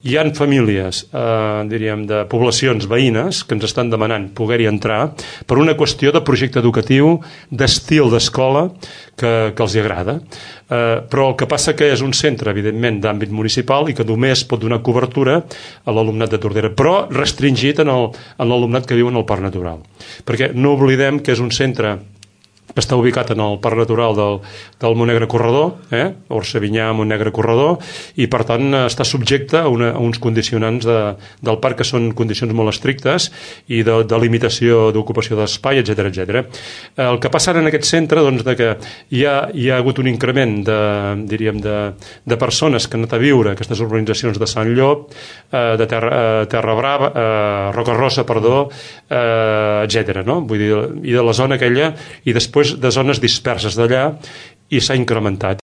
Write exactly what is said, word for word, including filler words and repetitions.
Hi ha famílies, eh, diríem, de poblacions veïnes que ens estan demanant poder-hi entrar per una qüestió de projecte educatiu, d'estil d'escola que, que els hi agrada. Eh, però el que passa que és un centre, evidentment, d'àmbit municipal i que només pot donar cobertura a l'alumnat de Tordera, però restringit en l'alumnat que viu en el Parc Natural. Perquè no oblidem que és un centre que està ubicat en el Parc Natural del, del Montnegre Corredor, eh? Orcevinyà, Montnegre Corredor, i per tant està subjecte a, una, a uns condicionants de, del parc que són condicions molt estrictes i de, de limitació d'ocupació d'espai, etcètera, etcètera. El que passa ara en aquest centre, doncs, de que hi ha, hi ha hagut un increment de, diríem, de, de persones que han anat a viure a aquestes urbanitzacions de Sant Llop, eh, de Terra, eh, Terra Brava, eh, Roca Rossa, perdó, eh, etcètera, no? Vull dir, i de la zona aquella, i després de zones disperses d'allà, i s'ha incrementat.